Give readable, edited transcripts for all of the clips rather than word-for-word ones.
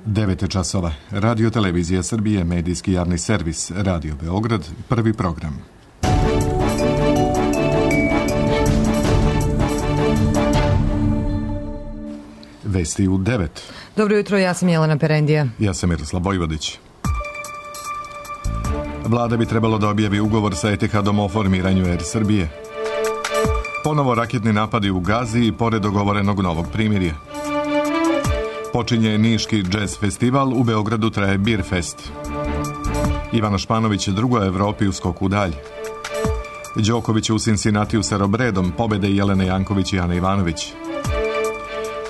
9 časova. Radio Televizija Srbije, medijski javni servis, Radio Beograd, prvi program. Vesti u 9. Dobro jutro, ja sam Jelena Perendija. Ja sam Miroslav Vojvodić. Vlada bi trebalo da objavi ugovor sa Etihadom o formiranju Air Srbije. Ponovo raketni napadi u Gazi i pored dogovorenog novog primirja. Počinje Niški džez festival, u Beogradu traje Beer Fest. Ivana Španović drugo u Evropi u skoku dalje. Đoković u Cincinnatiju sa Robredom, pobede Jelene Janković i Ana Ivanović.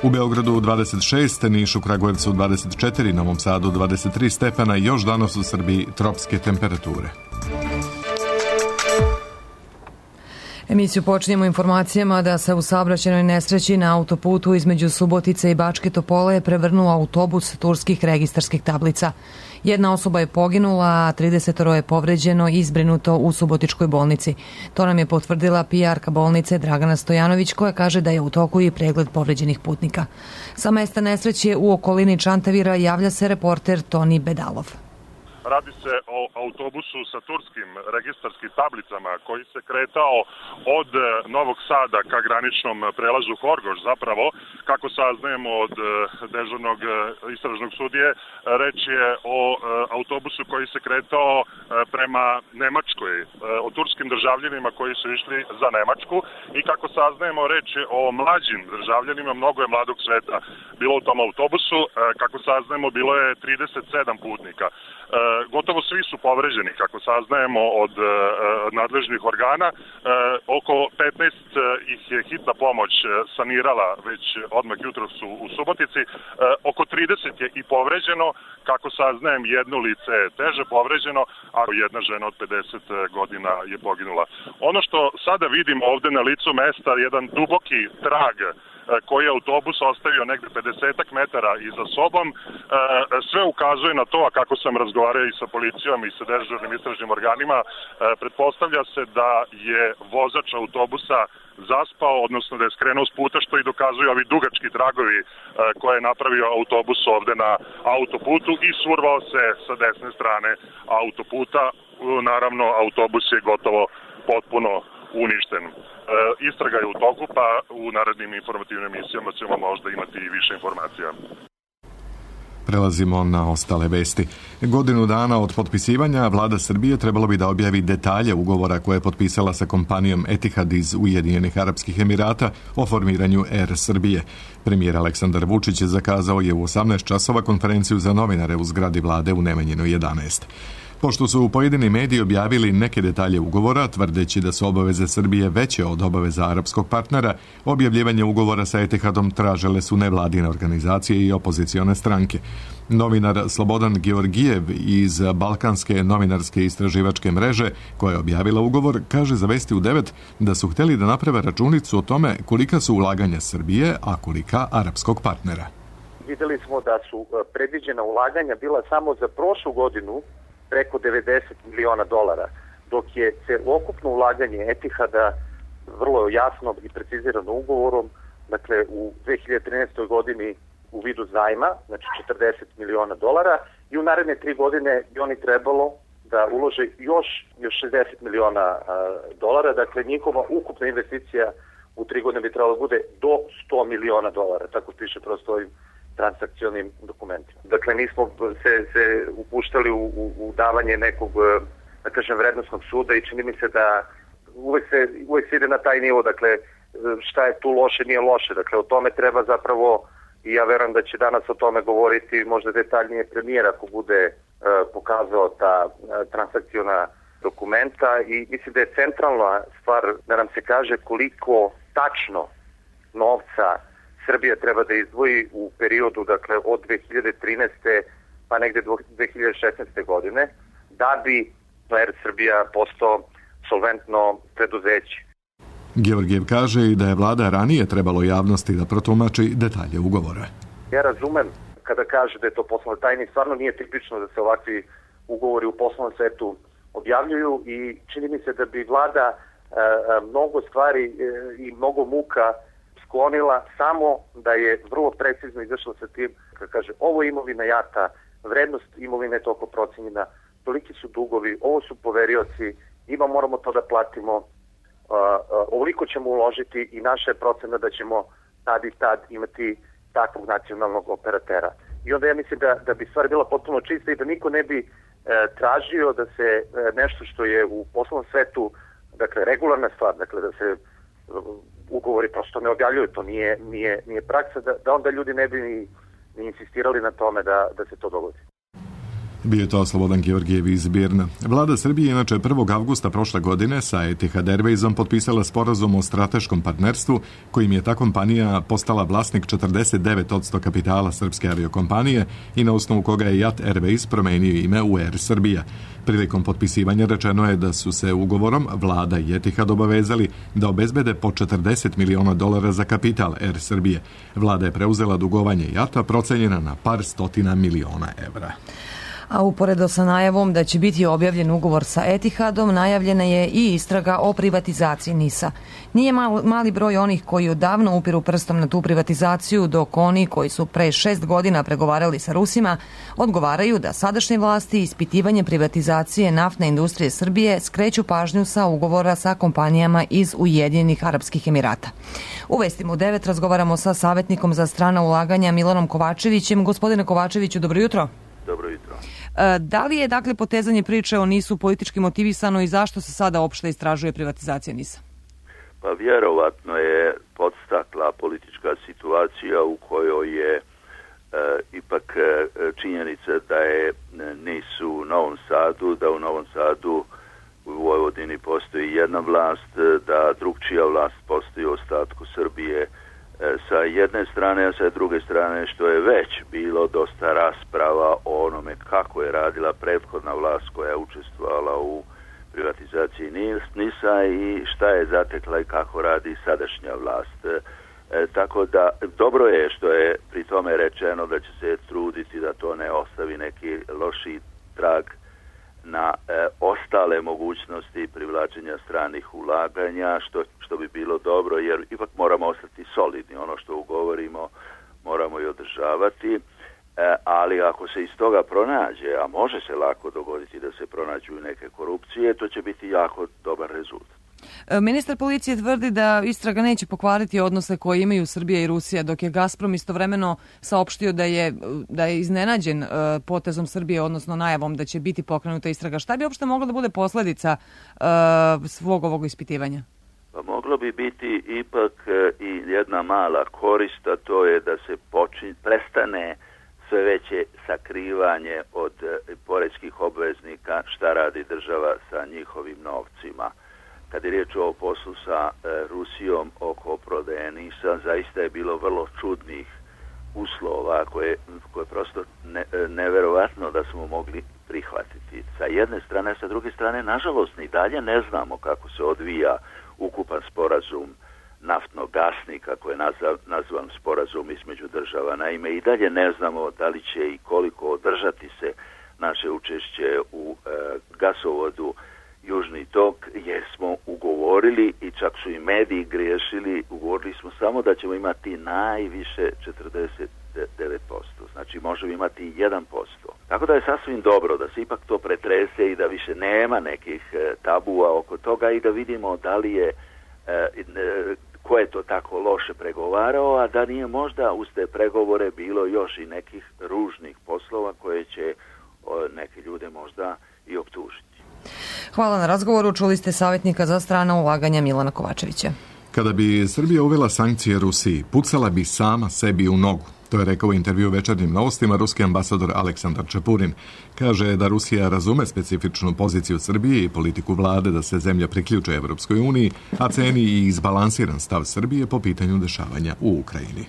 U Beogradu 26, Nišu, Kragujevcu 24, Novom Sadu 23 stepena i još danas u Srbiji tropske temperature. Emisiju počinjemo informacijama da se u saobraćajnoj nesreći na autoputu između Subotice i Bačke Topole prevrnuo autobus turskih registarskih tablica. Jedna osoba je poginula, a 30 je povređeno i zbrinuto u Subotičkoj bolnici. To nam je potvrdila PR-ka bolnice Dragana Stojanović, koja kaže da je u toku i pregled povređenih putnika. Sa mesta nesreće u okolini Čantavira javlja se reporter Toni Bedalov. Radi se o autobusu sa turskim registarskim tablicama koji se kretao od Novog Sada ka graničnom prelazu Horgoš. Zapravo, kako saznajemo od dežurnog istražnog sudije, reč je o autobusu koji se kretao prema Nemačkoj, o turskim državljanima koji su išli za Nemačku i kako saznajemo, reč je o mlađim državljanima, mnogo je mladog sveta bilo u tom autobusu, kako saznajemo bilo je 37 putnika. Gotovo svi su povređeni, kako saznajemo od nadležnih organa. Oko 15 ih je hitna pomoć sanirala već odmah jutros u Subotici. Oko 30 je i povređeno, kako saznajem jedno lice je teže povređeno, a jedna žena od 50 godina je poginula. Ono što sada vidimo ovde na licu mesta, jedan duboki trag koji je autobus ostavio negde 50 metara iza sobom, sve ukazuje na to, a kako sam razgovarao i sa policijom i sa dežurnim istražnim organima, pretpostavlja se da je vozač autobusa zaspao, odnosno da je skrenuo s puta, što i dokazuju ovi dugački tragovi koje je napravio autobus ovde na autoputu i survao se sa desne strane autoputa. Naravno, autobus je gotovo potpuno uništen. Istraga je u toku, pa u narednim informativnim emisijama ćemo možda imati više informacija. Prelazimo na ostale vesti. Godinu dana od potpisivanja vlada Srbije trebalo bi da objavi detalje ugovora koje je potpisala sa kompanijom Etihad iz Ujedinjenih Arapskih Emirata o formiranju Air Srbije. Premijer Aleksandar Vučić zakazao je u 18 časova konferenciju za novinare u zgradi vlade u Nemanjinoj 11. Pošto su pojedini mediji objavili neke detalje ugovora, tvrdeći da su obaveze Srbije veće od obaveza arapskog partnera, objavljivanje ugovora sa Etihadom tražile su nevladine organizacije i opozicione stranke. Novinar Slobodan Georgijev iz Balkanske novinarske istraživačke mreže, koja je objavila ugovor, kaže za Vesti u 9 da su hteli da naprave računicu o tome kolika su ulaganja Srbije, a kolika arapskog partnera. Videli smo da su predviđena ulaganja bila samo za prošlu godinu preko 90 miliona dolara, dok je celokupno ulaganje Etihada vrlo jasno i precizirano ugovorom, dakle u 2013. godini u vidu zajma, znači 40 miliona dolara, i u naredne 3 godine bi oni trebalo da ulože još 60 miliona dolara, dakle njihova ukupna investicija u 3 godine bi trebalo da bude do 100 miliona dolara, tako piše prosto ovim transakcionim dokumentima. Dakle, nismo se upuštali u davanje nekog, da kažem, vrednostnog suda i čini mi se da uvek se ide na taj nivo, dakle, šta je tu loše, nije loše. Dakle, o tome treba zapravo, i ja verujem da će danas o tome govoriti možda detaljnije premijer ako bude pokazao ta transakciona dokumenta, i mislim da je centralna stvar da nam se kaže koliko tačno novca Srbija treba da izdvoji u periodu, dakle, od 2013. pa negde 2016. godine, da bi Air Srbija postao solventno preduzeće. Georgijev kaže i da je vlada ranije trebalo javnosti da protumači detalje ugovora. Ja razumem kada kaže da je to poslovna tajna, stvarno nije tipično da se ovakvi ugovori u poslovnom svetu objavljuju i čini mi se da bi vlada mnogo stvari i mnogo muka sklonila, samo da je vrlo precizno izašla sa tim, kada kaže, ovo je imovina JAT-a, vrednost imovine je toliko procenjena, toliki su dugovi, ovo su poverioci, moramo to da platimo, ovoliko ćemo uložiti i naša je procena da ćemo tad i tad imati takvog nacionalnog operatera. I onda ja mislim da bi stvar bila potpuno čista i da niko ne bi tražio da se nešto što je u poslovnom svetu, dakle, regularna stvar, dakle, da se ugovori prosto ne objavljuju, to nije praksa, da onda ljudi ne bi ni insistirali na tome da se to dogodi. Bio je to Slobodan Georgijev iz Birna. Vlada Srbije inače 1. avgusta prošle godine sa Etihad Airwaysom potpisala sporazum o strateškom partnerstvu kojim je ta kompanija postala vlasnik 49% kapitala srpske aviokompanije i na osnovu koga je JAT Airways promenio ime u Air Srbija. Prilikom potpisivanja rečeno je da su se ugovorom Vlada i Etihad obavezali da obezbede po $40 miliona za kapital Air Srbije. Vlada je preuzela dugovanje JAT-a procenjena na par stotina miliona evra. A uporedo sa najavom da će biti objavljen ugovor sa Etihadom, najavljena je i istraga o privatizaciji NIS-a. Nije mali broj onih koji odavno upiru prstom na tu privatizaciju, dok oni koji su pre 6 godina pregovarali sa Rusima odgovaraju da sadašnje vlasti ispitivanje privatizacije naftne industrije Srbije skreću pažnju sa ugovora sa kompanijama iz Ujedinjenih Arapskih Emirata. U Vestima u 9 razgovaramo sa savjetnikom za strana ulaganja Milanom Kovačevićem. Gospodine Kovačeviću, dobro jutro. Dobro jutro. Da li je, dakle, potezanje priče o NIS-u politički motivisano i zašto se sada uopšte istražuje privatizacija NIS-a? Pa vjerovatno je podstakla politička situacija u kojoj je ipak činjenica da je NIS u Novom Sadu, da u Novom Sadu u Vojvodini postoji jedna vlast, da drugčija vlast postoji u ostatku Srbije sa jedne strane, a sa druge strane što je već bilo dosta rasprava o onome kako je radila prethodna vlast koja je učestvovala u privatizaciji NIS-a i šta je zatekla i kako radi sadašnja vlast. Tako da dobro je što je pri tome rečeno da će se truditi da to ne ostavi neki loši trag na ostale mogućnosti privlačenja stranih ulaganja, što bi bilo dobro, jer ipak moramo ostati solidni. Ono što ugovorimo moramo i održavati, ali ako se iz toga pronađe, a može se lako dogoditi da se pronađu neke korupcije, to će biti jako dobar rezultat. Ministar policije tvrdi da istraga neće pokvariti odnose koje imaju Srbija i Rusija, dok je Gazprom istovremeno saopštio da je iznenađen potezom Srbije, odnosno najavom da će biti pokrenuta istraga. Šta bi uopšte mogla da bude posledica svog ovog ispitivanja? Pa moglo bi biti ipak i jedna mala korist, a to je da se prestane sve veće sakrivanje od poreskih obveznika šta radi država sa njihovim novcima. Kad je riječ o poslu sa Rusijom oko prodaje NIS-a, zaista je bilo vrlo čudnih uslova koje prosto neverovatno da smo mogli prihvatiti. Sa jedne strane, sa druge strane, nažalost, ni dalje ne znamo kako se odvija ukupan sporazum naftnog gasnika koji je nazvan sporazum između država. Naime, i dalje ne znamo da li će i koliko održati se naše učešće u gasovodu Južni tok, jer smo ugovorili i čak su i mediji griješili, ugovorili smo samo da ćemo imati najviše 49%, znači možemo imati 1%. Tako da je sasvim dobro da se ipak to pretrese i da više nema nekih tabua oko toga i da vidimo da li je, ko je to tako loše pregovarao, a da nije možda uz te pregovore bilo još i nekih ružnih poslova koje će neke ljude možda i optužiti. Hvala na razgovoru. Čuli ste savjetnika za strana ulaganja Milana Kovačevića. Kada bi Srbija uvela sankcije Rusiji, pucala bi sama sebi u nogu. To je rekao u intervju Večernjim novostima ruski ambasador Aleksandar Čepurin. Kaže da Rusija razume specifičnu poziciju Srbije i politiku vlade da se zemlja priključe Evropskoj uniji, a ceni i izbalansiran stav Srbije po pitanju dešavanja u Ukrajini.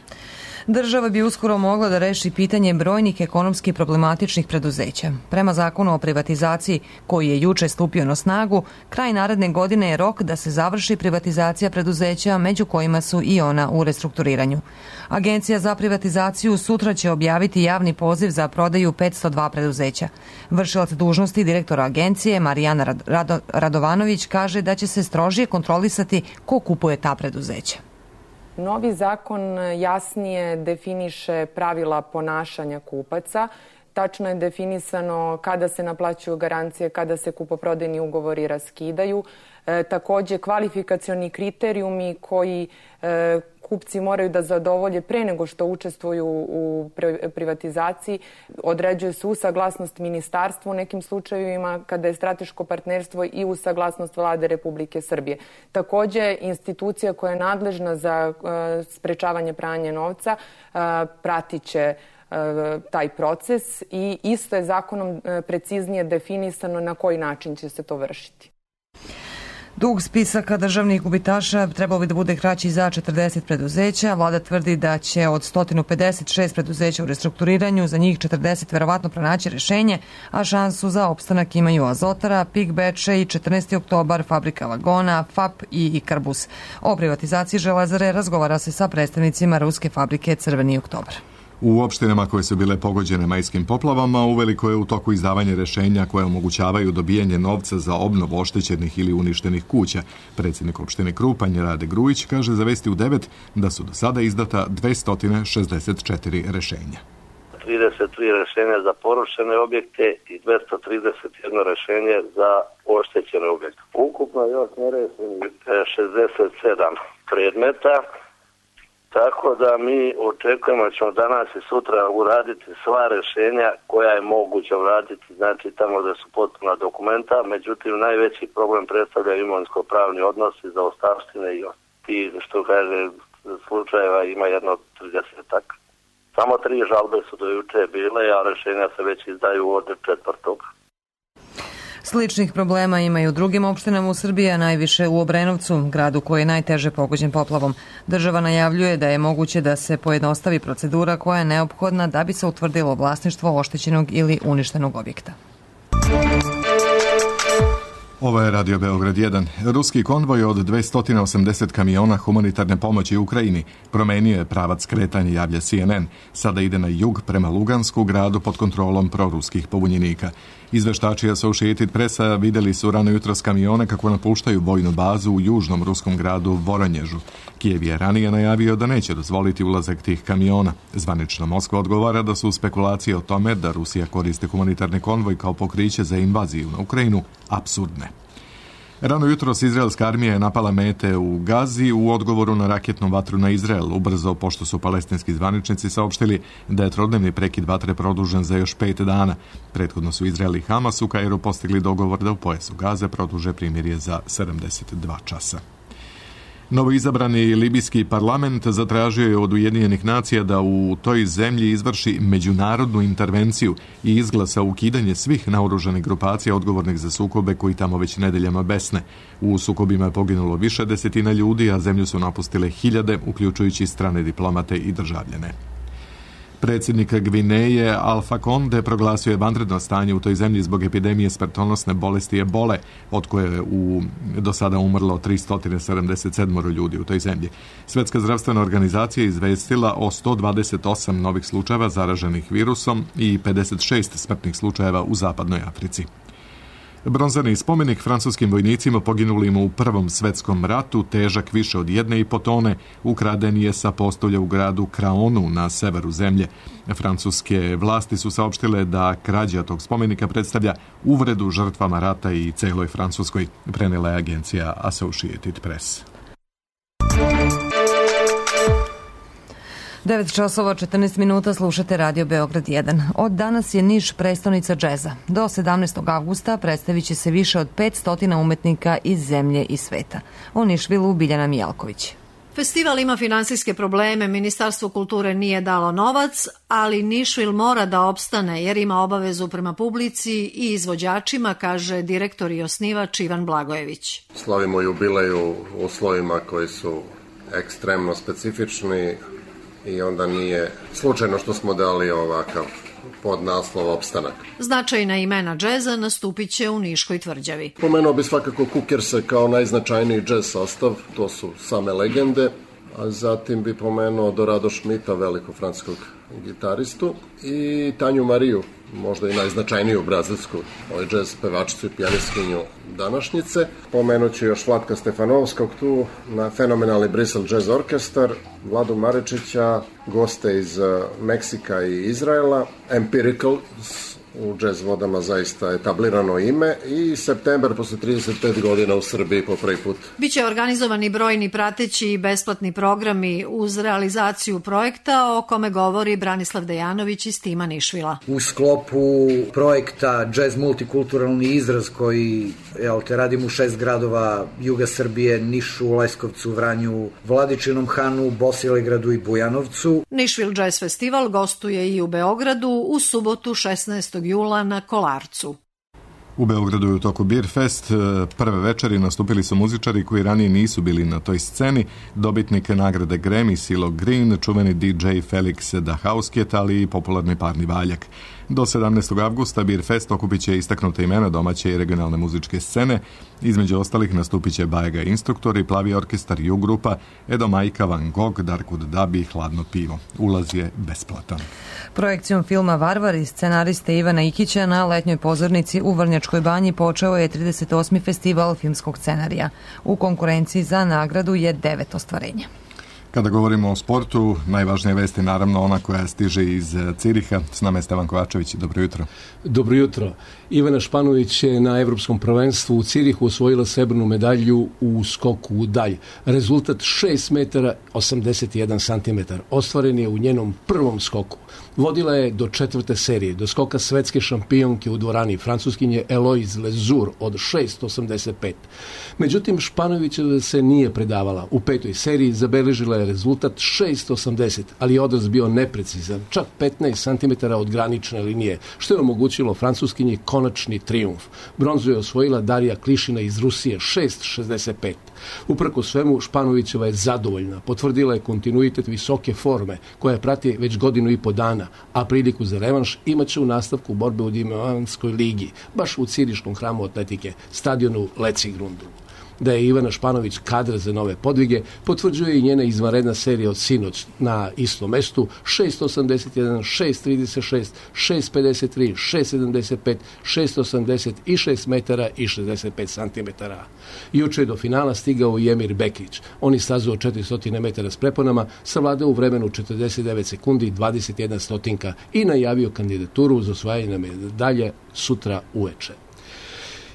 Država bi uskoro mogla da reši pitanje brojnih ekonomski problematičnih preduzeća. Prema zakonu o privatizaciji, koji je juče stupio na snagu, kraj naredne godine je rok da se završi privatizacija preduzeća, među kojima su i ona u restrukturiranju. Agencija za privatizaciju sutra će objaviti javni poziv za prodaju 502 preduzeća. Vršilac dužnosti direktora agencije Marijana Radovanović kaže da će se strožije kontrolisati ko kupuje ta preduzeća. Novi zakon jasnije definiše pravila ponašanja kupaca. Tačno je definisano kada se naplaćuju garancije, kada se kupoprodajni ugovori raskidaju. Takođe, kvalifikacioni kriterijumi koji kupci moraju da zadovolje pre nego što učestvuju u privatizaciji. Određuje se uz saglasnost ministarstva u nekim slučajevima kada je strateško partnerstvo i uz saglasnost Vlade Republike Srbije. Takođe, institucija koja je nadležna za sprečavanje pranja novca pratit će taj proces i isto je zakonom preciznije definisano na koji način će se to vršiti. Dug spisaka državnih gubitaša trebalo bi da bude kraći za 40 preduzeća. Vlada tvrdi da će od 156 preduzeća u restrukturiranju za njih 40 verovatno pronaći rešenje, a šansu za opstanak imaju Azotara, PIK Bečej, 14. oktobar, Fabrika vagona, FAP i Ikarbus. O privatizaciji Železare razgovara se sa predstavnicima ruske fabrike Crveni oktobar. U opštinama koje su bile pogođene majskim poplavama uveliko je u toku izdavanje rešenja koje omogućavaju dobijanje novca za obnovu oštećenih ili uništenih kuća. Predsjednik opštine Krupanj Rade Grujić kaže za Vesti u 9 da su do sada izdata 264 rešenja. 33 rešenja za porušene objekte i 231 rešenje za oštećene objekte. Ukupno još nerešenih 67 predmeta. Tako da mi očekujemo da ćemo danas i sutra uraditi sva rešenja koja je moguće uraditi, znači tamo da su potpuna dokumenta, međutim najveći problem predstavljaju imovinsko-pravni odnosi za ostavštine i ti, što kaže, slučajeva ima jedno 30-ak. Samo 3 žalbe su do juče bile, a rešenja se već izdaju od 4. Sličnih problema ima i u drugim opštinama u Srbiji, a najviše u Obrenovcu, gradu koji je najteže pogođen poplavom. Država najavljuje da je moguće da se pojednostavi procedura koja je neophodna da bi se utvrdilo vlasništvo oštećenog ili uništenog objekta. Ovo je Radio Beograd 1. Ruski konvoj od 280 kamiona humanitarne pomoći u Ukrajini promenio je pravac kretanja, javlja CNN. Sada ide na jug prema Lugansku, gradu pod kontrolom proruskih pobunjenika. Izveštači Associated Pressa videli su rano jutros kamione kako napuštaju vojnu bazu u južnom ruskom gradu Voronježu. Kijev je ranije najavio da neće dozvoliti ulazak tih kamiona. Zvanična Moskva odgovara da su spekulacije o tome da Rusija koriste humanitarni konvoj kao pokriće za invaziju na Ukrajinu apsurdne. Rano jutros izraelska armija je napala mete u Gazi u odgovoru na raketnu vatru na Izrael, ubrzo pošto su palestinski zvaničnici saopštili da je trodnevni prekid vatre produžen za još 5 dana. Prethodno su Izrael i Hamas u Kairu postigli dogovor da u pojasu Gaze produže primirje za 72 časa. Novoizabrani libijski parlament zatražio je od Ujedinjenih nacija da u toj zemlji izvrši međunarodnu intervenciju i izglasa ukidanje svih naoružanih grupacija odgovornih za sukobe koji tamo već nedeljama besne. U sukobima je poginulo više desetina ljudi, a zemlju su napustile hiljade, uključujući strane diplomate i državljane. Predsjednik Gvineje Alfa Konde proglasio je vanredno stanje u toj zemlji zbog epidemije smrtonosne bolesti ebole, od koje je do sada umrlo 377 ljudi u toj zemlji. Svetska zdravstvena organizacija je izvestila o 128 novih slučajeva zaraženih virusom i 56 smrtnih slučajeva u zapadnoj Africi. Bronzani spomenik francuskim vojnicima poginulim u Prvom svetskom ratu, težak više od 1,5 tone, ukraden je sa postolja u gradu Kraonu na severu zemlje. Francuske vlasti su saopštile da krađa tog spomenika predstavlja uvredu žrtvama rata i celoj Francuskoj, prenela je agencija Associated Press. 9 časova 14 minuta slušate Radio Beograd 1. Od danas je Niš prestonica džeza. Do 17. avgusta predstavit će se više od 500 umetnika iz zemlje i sveta. O Nišvilu Biljana Mijalković. Festival ima finansijske probleme, Ministarstvo kulture nije dalo novac, ali Nišvil mora da opstane jer ima obavezu prema publici i izvođačima, kaže direktor i osnivač Ivan Blagojević. Slavimo jubilej u uslovima koji su ekstremno specifični, i onda nije slučajno što smo dali ovakav podnaslov opstanak. Značajna imena džeza nastupit će u Niškoj tvrđavi. Pomenuo bi svakako Kukerse kao najznačajniji džez sastav, to su same legende, a zatim bi pomenuo Dorado Schmidta, velikog francuskog gitaristu, i Tanju Mariju, možda i najznačajniju brazilsku džez pevačicu i pijanistkinju današnjice. Pomenuću još Vlatka Stefanovskog tu, na fenomenalni Bristol Jazz Orkestar, Vladu Marečića, goste iz Meksika i Izraela, Empirical, u jazz vodama zaista etablirano ime, i septembar posle 35 godina u Srbiji po prvi put. Biće organizovani brojni prateći i besplatni programi uz realizaciju projekta o kome govori Branislav Dejanović iz tima Nišvila. U sklopu projekta Jazz multikulturalni izraz koji radimo u 6 gradova juga Srbije, Nišu, Leskovcu, Vranju, Vladičinom Hanu, Bosilegradu i Bujanovcu. Nišvil Jazz Festival gostuje i u Beogradu u subotu 16. jula na Kolarcu. U Beogradu je u toku Beer Fest. Prve večeri nastupili su muzičari koji ranije nisu bili na toj sceni. Dobitnik nagrade Grammy Silo Green, čuveni DJ Felix da Housecat, ali i popularni parni valjak. Do 17. avgusta Beer Fest okupit će istaknuta imena domaće i regionalne muzičke scene. Između ostalih nastupit će Bajega Instruktori, Plavi orkestar, Ju grupa, Edo Majka, Van Gogh, Darkud Dabi i Hladno pivo. Ulaz je besplatan. Projekcijom filma Varvari scenariste Ivana Ikića na letnjoj pozornici u Vrnjačkoj banji počeo je 38. festival filmskog scenarija. U konkurenciji za nagradu je 9 ostvarenja. Kada govorimo o sportu, najvažnija vest je naravno ona koja stiže iz Ciriha. S nama je Stevan Kovačević. Dobro jutro. Dobro jutro. Ivana Španović je na Evropskom prvenstvu u Cirihu osvojila srebrnu medalju u skoku u dalj. Rezultat 6 metara 81 centimetar. Ostvaren je u njenom prvom skoku. Vodila je do 4. serije, do skoka svetske šampionke u dvorani Francuskinje Eloise Lezur od 6,85. Međutim, Španović se nije predavala. U 5. seriji zabeležila je rezultat 6,80, ali je odraz bio neprecizan, čak 15 cm od granične linije, što je omogućilo Francuskinji konačni trijumf. Bronzu je osvojila Darija Klišina iz Rusije 6,65. Uprko svemu, Španovićeva je zadovoljna. Potvrdila je kontinuitet visoke forme, koja prati već godinu i po dana, a priliku za revanš imaće u nastavku borbe u Diamantskoj ligi, baš u Ciriškom hramu atletike, stadionu Lecigrundu. Da je Ivana Španović kadra za nove podvige, potvrđuje i njena izvanredna serija od sinoć na istom mestu 6,81, 6,36, 6,53, 6,75, 6,80 i 6 metara i 65 centimetara. Juče je do finala stigao i Emir Bekić. On je stazu od 400 metara s preponama savladao u vremenu 49 sekundi 21 stotinka i najavio kandidaturu za osvajanje medalje sutra uveče.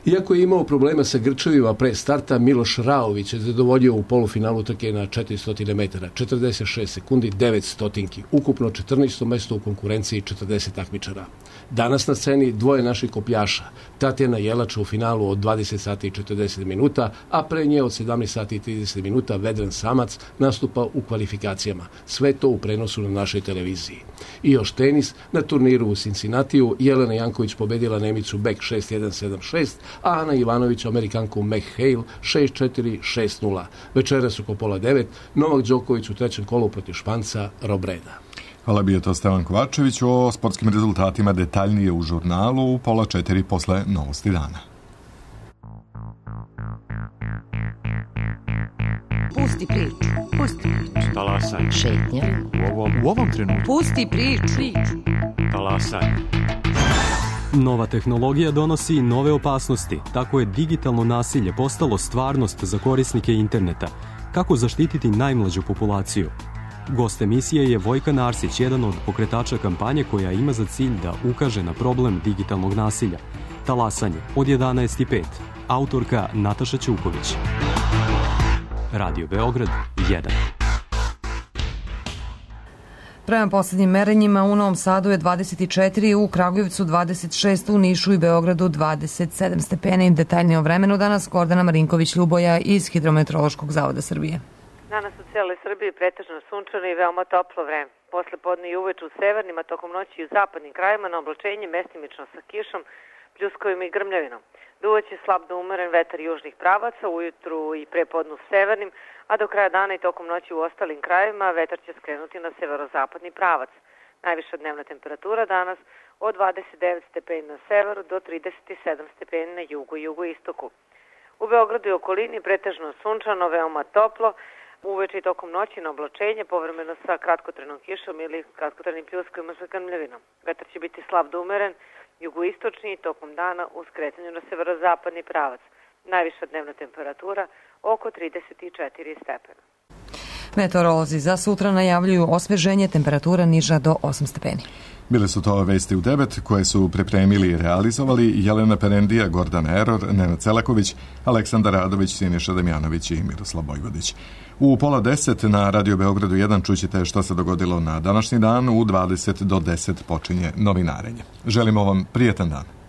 Iako je imao problema sa grčevima pre starta, Miloš Raović je zadovoljio u polufinalu trke na 400 metara, 46 sekundi, 9 stotinki, ukupno 14. mesto u konkurenciji 40 takmičara. Danas na sceni dvoje naših kopljaša, Tatjana Jelač u finalu od 20 sati i 40 minuta, a pre nje od 17 sati i 30 minuta Vedran Samac nastupa u kvalifikacijama. Sve to u prenosu na našoj televiziji. I još tenis, na turniru u Cincinnatiju Jelena Janković pobedila Nemicu Beck 6-1, 7-6, a Ana Ivanović Amerikanku Meg Hale 6-4, 6-0. Večeras oko 8:30 Novak Đoković u trećem kolu protiv Španca Robreda. Hvala, bio to Stevan Kovačević. O sportskim rezultatima detaljnije u žurnalu u 3:30 posle Novosti dana. Pusti priču. Pusti priču. Talasaj. Šetnja. U ovom trenutku. Pusti priču. Talasaj. Nova tehnologija donosi nove opasnosti. Tako je digitalno nasilje postalo stvarnost za korisnike interneta. Kako zaštititi najmlađu populaciju? Gost emisije je Vojkan Arsić, jedan od pokretača kampanje koja ima za cilj da ukaže na problem digitalnog nasilja. Talasanje od 11:05. Autorka Nataša Ćuković. Radio Beograd 1. Prema poslednjim merenjima u Novom Sadu je 24, u Kragujevcu 26, u Nišu i Beogradu 27 stepeni. Detaljnije o vremenu danas Gordana Marinković-Ljuboja iz Hidrometeorološkog zavoda Srbije. Danas u cijeloj Srbiji pretežno sunčano i veoma toplo vreme. Posle podne i uveče u severnim, a tokom noći i u zapadnim krajima na oblačenje mestimično sa kišom, pljuskovima i grmljavinom. Duvaće slab do umeren vetar južnih pravaca, ujutru i prepodnu severnim, a do kraja dana i tokom noći u ostalim krajevima vetar će skrenuti na severozapadni pravac. Najviša dnevna temperatura danas od 29 stepeni na severu do 37 stepeni na jugu i jugoistoku. U Beogradu i okolini pretežno sunčano, veoma toplo, Uveče i tokom noći na oblačenje, povremeno sa kratkotrenom kišom ili kratkotrenim pljuskovima sa grmljavinom. Vetar će biti slab do umeren, jugoistočni i tokom dana u skretanju na severozapadni pravac. Najviša dnevna temperatura oko 34 stepena. Meteorolozi za sutra najavljuju osveženje, temperatura niža do 8 stepeni. Bile su to vesti u 9 koje su pripremili i realizovali Jelena Perendija, Gordana Eror, Nenad Celaković, Aleksandar Radović, Siniša Damjanović i Miroslav Bojvodić. U 9:30 na Radio Beogradu 1 čućete što se dogodilo na današnji dan. U 20 do 10 počinje novinarenje. Želimo vam prijetan dan.